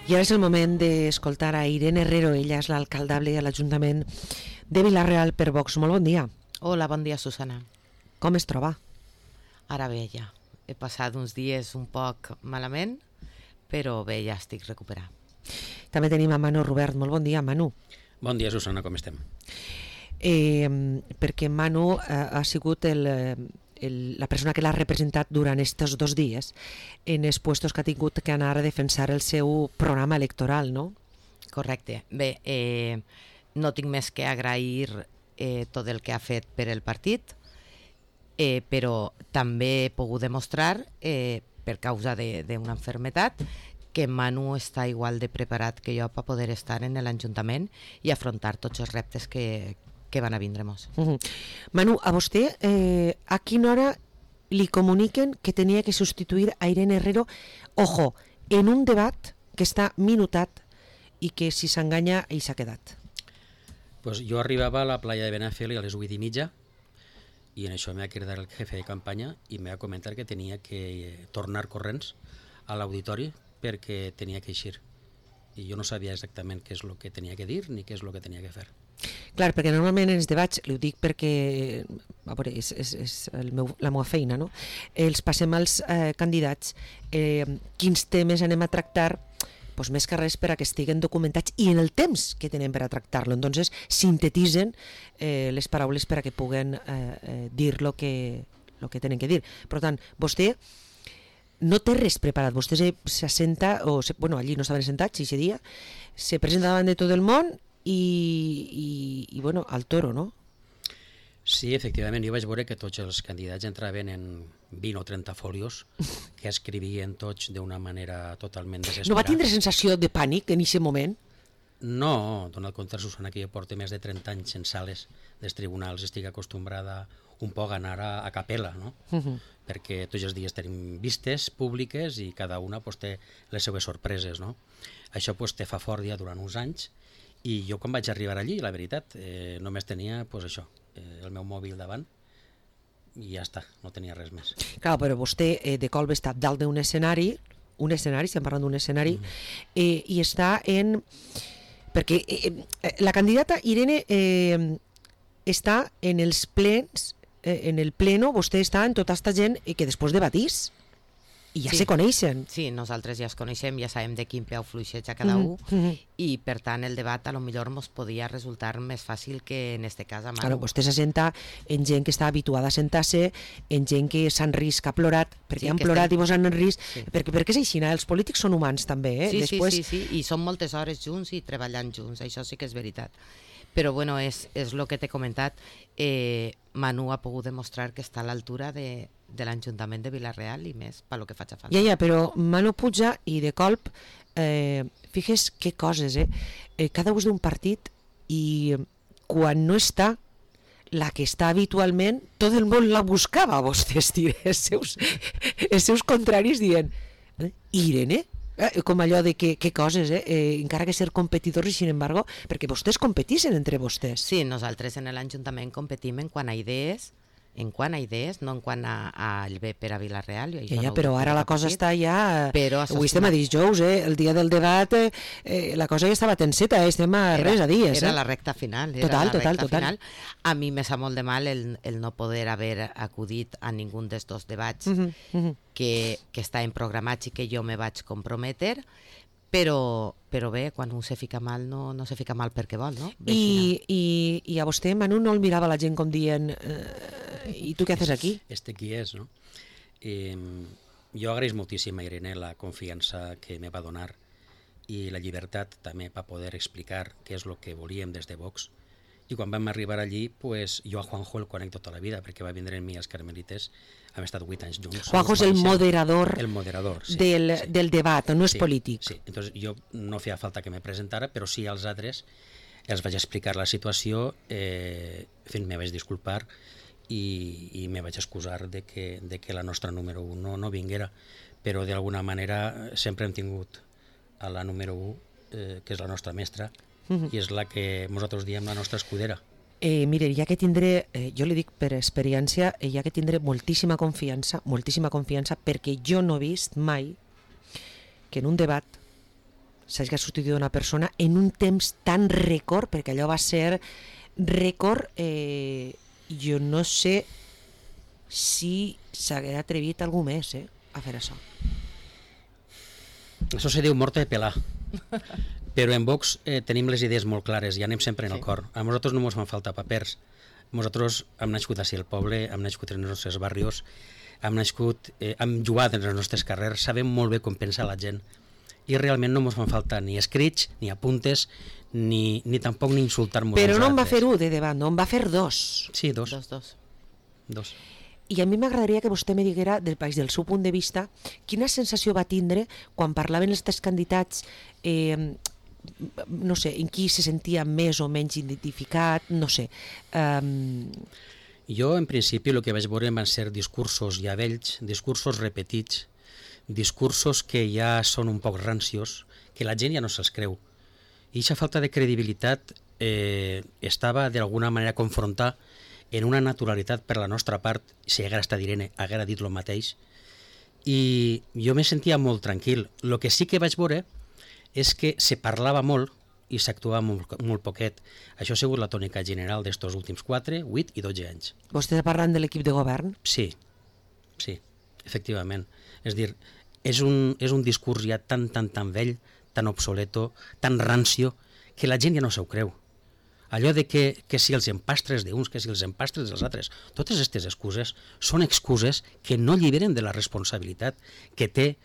I ara és el moment d'escoltar a Irene Herrero, ella és l'alcaldable a l'Ajuntament de Vila-real per Vox. Molt bon dia. Hola, bon dia, Susana. Com es troba? Ara bé, ja. He passat uns dies un poc malament, però bé, ja estic recuperat. També tenim a Manu Robert. Molt bon dia, Manu. Bon dia, Susana, com estem? Perquè Manu ha sigut la persona que l'ha representat durant aquests 2 dies en els puestos que ha tingut que anar a defensar el seu programa electoral, no? Correcte. Bé, no tinc més que agrair tot el que ha fet per el partit, però també he pogut demostrar, per causa d'una malaltia, que Manu està igual de preparat que jo per poder estar en l'Ajuntament i afrontar tots els reptes que van a vindre-nos. Manu, a vostè a quina hora li comuniquen que tenia que substituir a Irene Herrero, ojo, en un debat que està minutat i que si s'enganya ell s'ha quedat? Pues jo arribava a la playa de Benafeli a les 8:30 i en això m'ha cridat el jefe de campanya i m'ha comentat que tenia que tornar corrents a l'auditori perquè tenia que eixir. I jo no sabia exactament què és el que tenia que dir ni què és el que tenia que fer. Clar, perquè normalment en els debats, ho dic perquè a veure, és la meva feina, no? Els passem als candidats quins temes anem a tractar, doncs més que res per a que estiguen documentats i en el temps que tenen per a tractar-lo. Entonces sintetitzen les paraules per a que puguen dir el que tenen que dir. Per tant, vostè no té res preparat, vostè s'assenta, bueno, allí no estaven sentats, ese dia, se presenta davant de tot el món i bueno, al toro, no? Sí, efectivament, jo vaig veure que tots els candidats entraven en 20 o 30 folios que escrivien tots d'una manera totalment desesperada. No va tindre sensació de pànic en aquest moment? No, donat compte, Susana, que jo porto més de 30 anys en sales dels tribunals, estic acostumbrada un poc a anar a capella, no? Perquè tots els dies tenim vistes públiques i cada una pues, té les seues sorpreses, no? Això pues, te fa fort ja durant uns anys i jo quan vaig arribar allí, la veritat, només tenia pues, això, el meu mòbil davant i ja està, no tenia res més. Clar, però vostè de colp està dalt d'un escenari, estem parlant d'un escenari, i està en... Perquè la candidata Irene està en els plens, en el pleno, vostè està en tota aquesta gent que després debatís i ja se coneixen. Sí, nosaltres ja es coneixem, ja sabem de quin peu fluixeja cada un i per tant el debat a lo millor ens podia resultar més fàcil que en este cas a Manu. Claro, vostè s'assenta en gent que està habituada a sentar-se, en gent que s'han risc, ha plorat, perquè han plorat i vos han risc, perquè és així, els polítics són humans també. Sí, i són moltes hores junts i treballant junts, això sí que és veritat. Però bueno, és el que t'he comentat, Manu ha pogut demostrar que està a l'altura de l'Ajuntament de Vila-real i més pel que faig a falta. Ja, però Manu puja i de colp, fixes que coses, cada ús d'un partit i quan no està, la que està habitualment, tot el món la buscava, vostès, els seus contraris dient, Irene? Com allò de que coses, encara que ser competidors i sin embargo, perquè vostès competixen entre vostès. Sí, nosaltres en l'Ajuntament competim en quant a idees, no en quant al bé per a Vila-real. Ja, però ara la cosa està ja... Avui estem a dijous, el dia del debat, la cosa ja estava tenseta, estem a res a dies. Era la recta final. Total. A mi me sap molt de mal el no poder haver acudit a ningú dels 2 debats que estaven programats i que jo me vaig comprometer, però bé, quan un se fica mal no se fica mal perquè vol, no? I a vostè, Manu, no el mirava la gent com dient i tu què haces aquí? Qui és, no? Jo agraeix moltíssim a Irene la confiança que me va donar i la llibertat també per poder explicar què és el que volíem des de Vox. I quan vam arribar allí, pues, jo a Juanjo el conec tota la vida, perquè va vindre amb mi als Carmelites, hem estat 8 anys junts. Juanjo és el moderador, sí, del debat, no és polític. Sí, entonces jo no feia falta que me presentara, però sí als altres els vaig explicar la situació, me vaig disculpar i me vaig excusar de que la nostra número 1 no vinguera, però d'alguna manera sempre hem tingut a la número 1, que és la nostra mestra, i és la que nosaltres diem la nostra escudera. Mire, ja que tindré, jo li dic per experiència, ja que tindré moltíssima confiança, perquè jo no he vist mai que en un debat s'hagi substituït una persona en un temps tan rècord, perquè allò va ser rècord, jo no sé si s'hagués atrevit algú més a fer això. Això se diu mort de pelar. Però en Vox tenim les idees molt clares i anem sempre en el cor. A nosaltres no ens fan falta papers. Nosaltres hem nascut així al poble, hem nascut en els nostres barrios, hem jugat en els nostres carrers, sabem molt bé com pensa la gent i realment no ens fan falta ni escrits, ni apuntes, ni tampoc ni insultar-nos. Però no en va fer un de davant, no en va fer dos. Sí, dos. Dos. I a mi m'agradaria que vostè me diguera, del seu punt de vista, quina sensació va tindre quan parlaven els tres candidats, no sé, en qui se sentia més o menys identificat, no sé. Jo, en principi, el que vaig veure van ser discursos ja vells, discursos repetits, discursos que ja són un poc rancios, que la gent ja no se'ls creu. I aquesta falta de credibilitat estava d'alguna manera a confrontar en una naturalitat per la nostra part, si haguera estat Irene, haguera dit el mateix, i jo me sentia molt tranquil. El que sí que vaig veure és que se parlava molt i s'actuava molt poquet. Això ha sigut la tònica general d'estos últims 4, 8 i 12 anys. Vostè està parlant de l'equip de govern? Sí, efectivament. És dir, és un discurs ja tan vell, tan obsoleto, tan rancio, que la gent ja no s'ho creu. Allò de que si els empastres d'uns, que si els empastres dels altres, totes aquestes excuses són excuses que no alliberen de la responsabilitat que té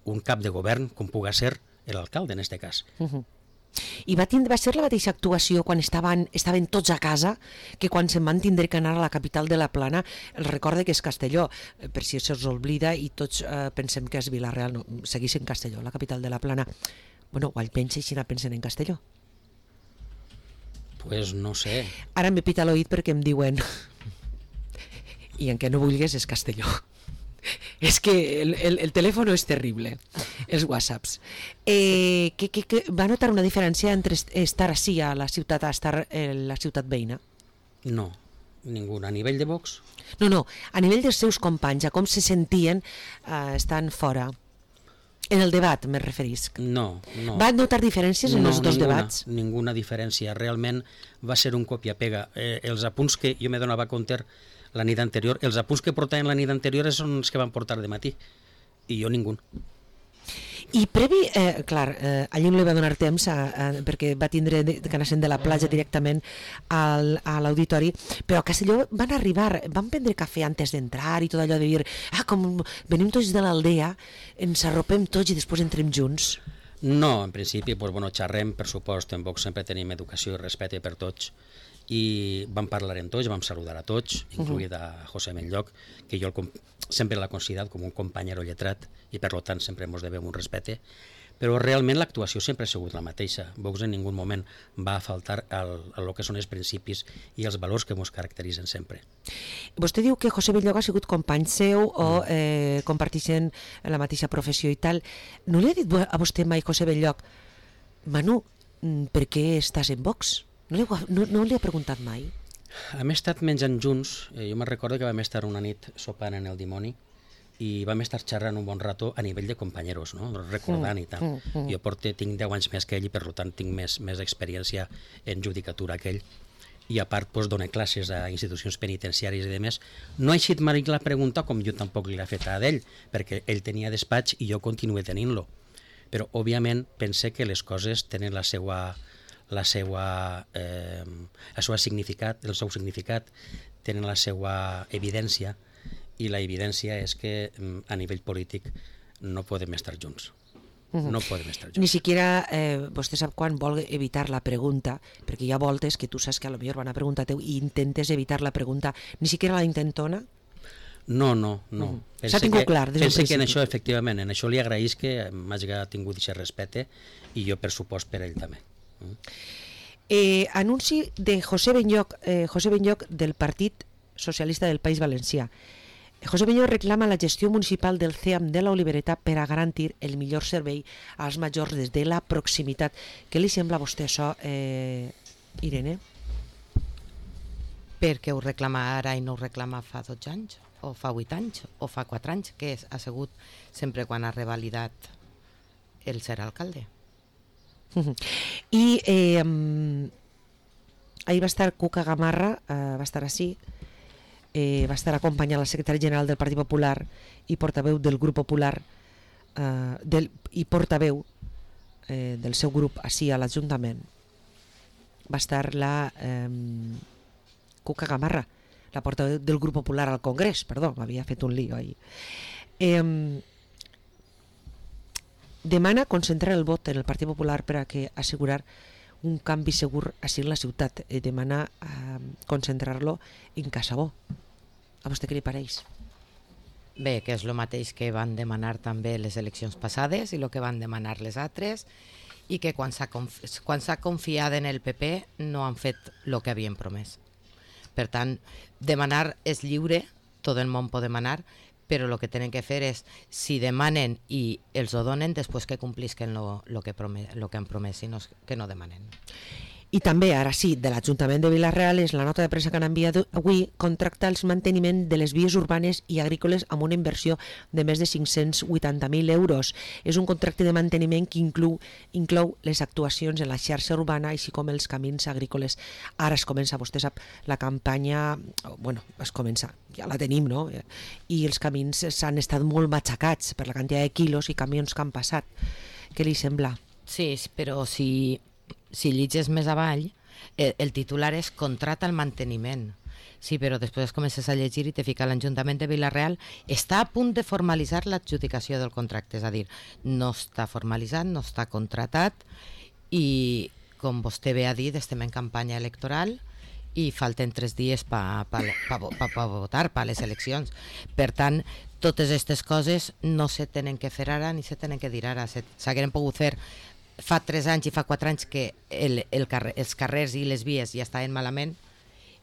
un cap de govern, com puga ser l'alcalde en aquest cas. I va ser la mateixa actuació quan estaven tots a casa que quan se'n van tindre que anar a la capital de la Plana. El recorde que és Castelló, per si se'ls oblida i tots pensem que és Vila-real, no, segueix en Castelló, la capital de la Plana. Bueno, o almenys així pensen en Castelló. Pues no sé. Ara m'he pita l'oït perquè em diuen i en què no vulguis és Castelló. És que el telèfon és terrible, els whatsapps. Va notar una diferència entre estar així a la ciutat a estar a la ciutat veïna? No, ninguna. A nivell de Vox? No, a nivell dels seus companys, a com se sentien estant fora. En el debat, me referisc. No. Va notar diferències en els dos debats? Ninguna diferència. Realment va ser un copia-pega. Els apunts que jo me donava compte la nit anterior, els apunts que portaven la nit anterior són els que van portar de matí. I jo ningú. I previ, clar, allí no li va donar temps perquè va tindre que anar de la platja directament a l'auditori, però a Castelló van arribar, van prendre cafè antes d'entrar i tot allò de dir, com venim tots de l'aldea, ens arropem tots i després entrem junts. No, en principi, xerrem, per supost, en Vox sempre tenim educació i respecte per tots, i vam parlar amb tots, vam saludar a tots, incluït a José Benlloch, que jo sempre l'he considerat com un companyero lletrat i per tant sempre ens devem un respecte, però realment l'actuació sempre ha sigut la mateixa. Vox en ningú moment va faltar el que són els principis i els valors que ens caracteritzen sempre. Vostè diu que José Benlloch ha sigut company seu o comparteixen la mateixa professió i tal. No li ha dit a vostè mai José Benlloch, Manu, per què estàs en Vox? No li ha preguntat mai? Hem estat menjant junts, jo me'n recordo que vam estar una nit sopant en el Dimoni i vam estar xerrant un bon rato a nivell de companyeros, no? Recordant i tal. Jo tinc 10 anys més que ell i per tant tinc més experiència en judicatura que ell i a part dona classes a institucions penitenciàries i demés. No ha eixit mai la pregunta com jo tampoc li l'he fet a ell, perquè ell tenia despatx i jo continuo tenint-lo. Però òbviament pense que les coses tenen el seu significat, tenen la seva evidència, i la evidència és que a nivell polític no podem estar junts. No podem estar junts. Ni siquiera vostè sap quan vol evitar la pregunta, perquè hi ha voltes que tu saps que a lo millor van a preguntar teu i intentes evitar la pregunta, ni siquiera la intentona? No. S'ha tingut clar des del principi. Pense que en això, efectivament, en això li agraïs que m'hagi tingut aquest respecte i jo, per supost, per ell també. Anunci de José Benlloch del Partit Socialista del País Valencià. José Benlloch reclama la gestió municipal del CEAM de l'Olivereta per a garantir el millor servei als majors des de la proximitat. Què li sembla a vostè això, Irene? Per què ho reclama ara i no ho reclama fa 12 anys? O fa 8 anys? O fa 4 anys? Que ha sigut sempre quan ha revalidat el ser alcalde? I ahir va estar Cuca Gamarra, va estar així, va estar acompanyant la secretària general del Partit Popular i portaveu del grup popular i portaveu del seu grup així a l'Ajuntament. Va estar la Cuca Gamarra, la portaveu del grup popular al Congrés, perdó, m'havia fet un lío ahir. Demana concentrar el vot en el Partit Popular per a que assegurar un canvi segur així en la ciutat. Demana concentrar-lo en Casabó. A vostè què li pareix? Bé, que és el mateix que van demanar també les eleccions passades i el que van demanar les altres, i que quan s'ha confiat en el PP no han fet el que havien promès. Per tant, demanar és lliure, tot el món pot demanar, però el que tenen que fer és, si demanen i els ho donen, després que complisquen el que han promès, i no que no demanen. I també, ara sí, de l'Ajuntament de Vila-real és la nota de premsa que han enviat avui, contracta el manteniment de les vies urbanes i agrícoles amb una inversió de més de 580.000 euros. És un contracte de manteniment que inclou les actuacions en la xarxa urbana, així com els camins agrícoles. Ara es comença, vostè sap, la campanya, bueno, es comença, ja la tenim, no? I els camins s'han estat molt matxacats per la quantitat de quilos i camions que han passat. Què li sembla? Sí, però si llegis més avall, el titular és contrata el manteniment. Sí, però després comences a llegir i te fica l'Ajuntament de Vila-real està a punt de formalitzar l'adjudicació del contracte, és a dir, no està formalitzat, no està contratat, i com vostè bé ha dit, estem en campanya electoral i falten 3 dies per votar per les eleccions. Per tant, totes aquestes coses no se tenen que fer ara ni se tenen que dir ara, s'hagueren pogut fer fa 3 anys i fa 4 anys que els carrers i les vies ja estaven malament,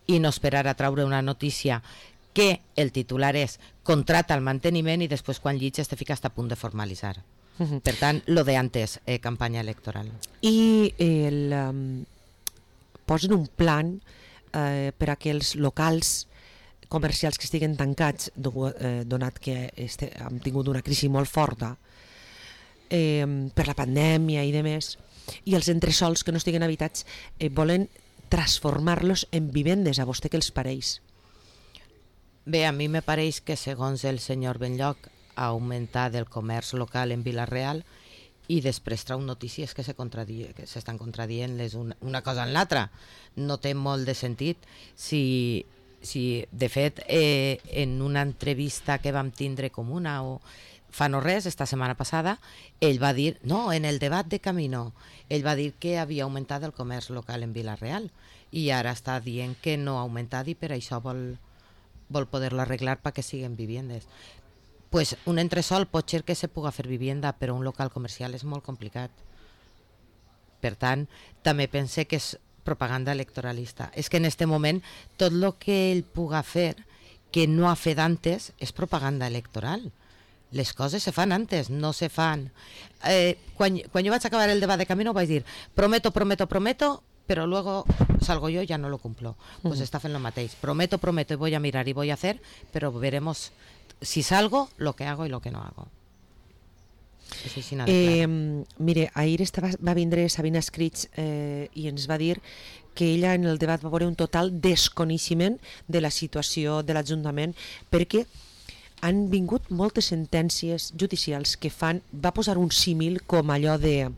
i no esperar a traure una notícia que el titular és contrata el manteniment i després quan llitges te fiques a punt de formalitzar. Per tant, lo de antes, campanya electoral. I posen un plan per a que els locals comercials que estiguen tancats, donat que hem tingut una crisi molt forta, per la pandèmia i demés, i els entresols que no estiguen habitats volen transformar-los en vivendes. A vostè què els pareix? Bé, a mi me pareix que segons el senyor Benlloc ha augmentat el comerç local en Vila-real i després trau notícies que s'estan contradient una cosa en l'altra. No té molt de sentit. Si de fet, en una entrevista que vam tindre comuna fa no res, esta setmana passada, ell va dir, no, en el debat de Camino, ell va dir que havia augmentat el comerç local en Vila-real i ara està dient que no ha augmentat i per això vol poder-lo arreglar perquè siguin viviendes. Pues un entresol pot ser que se puga fer vivienda, però un local comercial és molt complicat. Per tant, també pense que és propaganda electoralista. És que en este moment tot el que ell puga fer que no ha fet antes és propaganda electoral. Les coses se fan antes, no se fan. Quan jo vaig acabar el debat de Camino vaig dir prometo, pero luego salgo yo y ya no lo cumplo. Pues está fent lo mateix. Prometo y voy a mirar y voy a hacer, pero veremos si salgo, lo que hago y lo que no hago. Mire, ahir va vindre Sabina Escrits i ens va dir que ella en el debat va veure un total desconeixement de la situació de l'Ajuntament perquè han vingut moltes sentències judicials que va posar un símil com allò de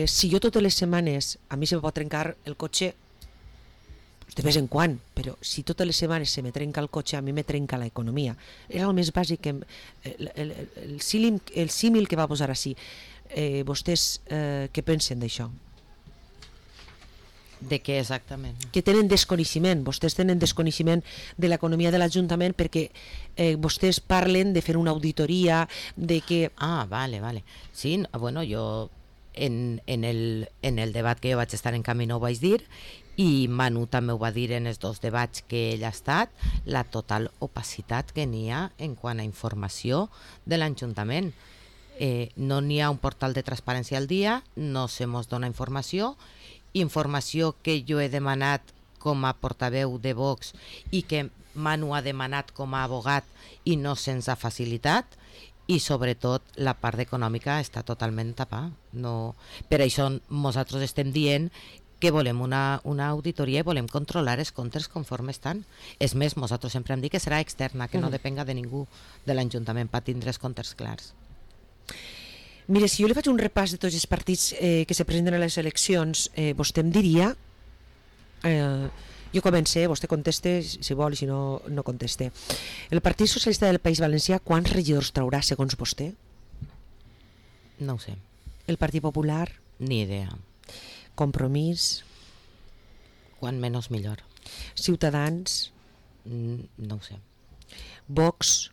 si jo totes les setmanes a mi se me pot trencar el cotxe de vez en quan, però si totes les setmanes se me trenca el cotxe, a mi me trenca l'economia. Era el més bàsic, el símil que va posar així. Vostès què pensen d'això? De què exactament? Que tenen desconeixement, vostès tenen desconeixement de l'economia de l'Ajuntament perquè vostès parlen de fer una auditoria, de que... Ah, vale. Sí, bueno, jo en el debat que jo vaig estar en Camino ho vaig dir, i Manu també ho va dir en els 2 debats que ell ha estat, la total opacitat que n'hi ha en quant a informació de l'Ajuntament. No n'hi ha un portal de transparència al dia, no se mos dona informació que jo he demanat com a portaveu de Vox i que Manu ha demanat com a abogat i no se'ns ha facilitat, i sobretot la part econòmica està totalment tapada. No, per això nosaltres estem dient que volem una auditoria i volem controlar els comptes conforme estan. És més, nosaltres sempre hem dit que serà externa, que no depenga de ningú de l'Ajuntament per tindre els comptes clars. Mire, si jo li faig un repàs de tots els partits que se presenten a les eleccions, vostè em diria... jo comencé, vostè conteste si vol i si no, no conteste. El Partit Socialista del País Valencià quants regidors traurà segons vostè? No ho sé. El Partit Popular? Ni idea. Compromís? Quan menys millor. Ciutadans? No ho sé. Vox?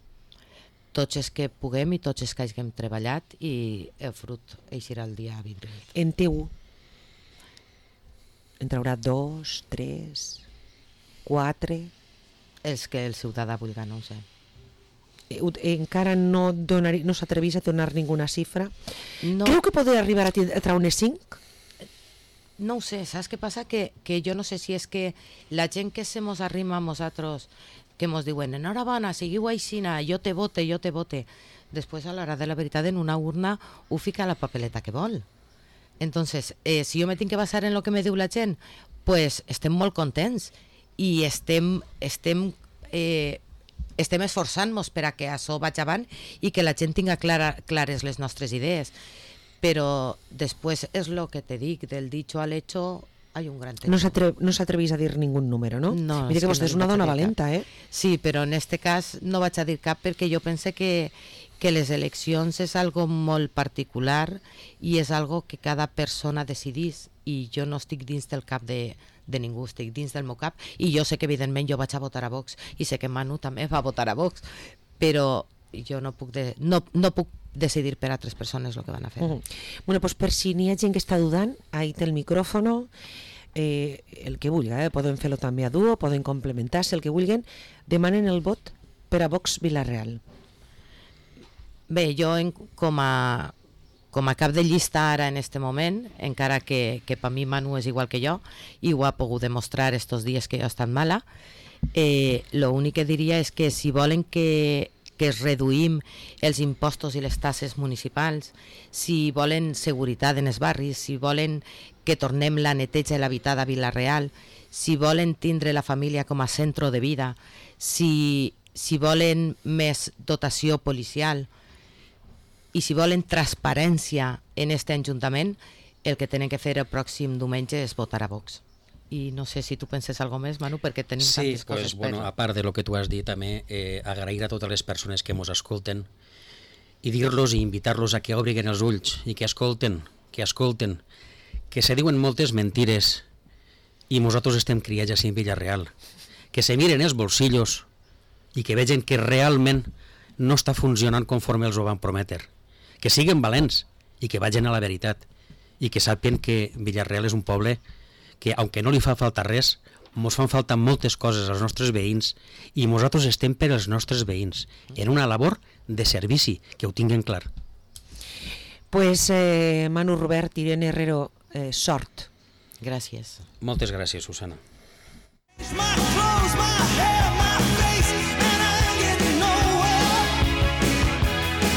Tots els que puguem i tots els que hàgim treballat, i el fruit eixirà el dia 28. En TU? En traurà 2, 3, 4? Els que el ciutadà vulgui, no ho sé. Encara no s'atrevís a donar ninguna xifra? No. Creu que podria arribar a treure 5? No ho sé, saps què passa? Que jo no sé si és que la gent que se mos arrima a nosaltres, que mos diuen, enhorabona, seguiu aixina, jo te vote. Després, a l'hora de la veritat, en una urna ho fica a la papeleta que vol. Entonces, si jo me tinc que basar en el que me diu la gent, pues estem molt contents i estem esforçant-nos per a que això vagi avant i que la gent tinga clares les nostres idees. Però després és el que te dic, del dicho al hecho hay un gran trecho. No s'atrevís a dir ningú número, no? No, mira que vostè és una dona valenta, eh? Sí, però en este cas no vaig a dir cap perquè jo pense que les eleccions és algo molt particular i és algo que cada persona decidís, i jo no estic dins del cap de ningú, estic dins del meu cap, i jo sé que evidentment jo vaig a votar a Vox i sé que Manu també va votar a Vox, però jo no puc decidir per altres persones el que van a fer. Bueno, pues per si n'hi ha gent que està dudant, ahí té el micròfono, el que vulgui, poden fer-lo també a duo, poden complementar-se, el que vulguin, demanen el vot per a Vox Vila-real. Bé, jo com a cap de llista ara en este moment, encara que per mi Manu és igual que jo i ho ha pogut demostrar estos dies que jo he estat mala, l'únic que diria és que si volen que es reduïm els impostos i les taxes municipals, si volen seguretat en els barris, si volen que tornem la neteja i l'habitat a Vila-real, si volen tindre la família com a centre de vida, si volen més dotació policial i si volen transparència en aquest Ajuntament, el que tenen que fer el pròxim diumenge és votar a Vox. I no sé si tu penses alguna més, Manu, perquè tenim tantes coses. Sí, bueno, a part de lo que tu has dit, també agrair a totes les persones que ens escolten i dir-los i invitar-los a que obrin els ulls i que escolten, que se diuen moltes mentires i nosaltres estem criats així en Vila-real, que se miren els bolsillos i que vegen que realment no està funcionant conforme els ho van prometre, que siguin valents i que vagin a la veritat i que sàpien que Vila-real és un poble que, aunque no li fa falta res, ens fan falta moltes coses als nostres veïns i nosaltres estem per als nostres veïns, en una labor de servici, que ho tinguen clar. Pues Manu Robert, Irene Herrero, sort. Gràcies. Moltes gràcies, Susana.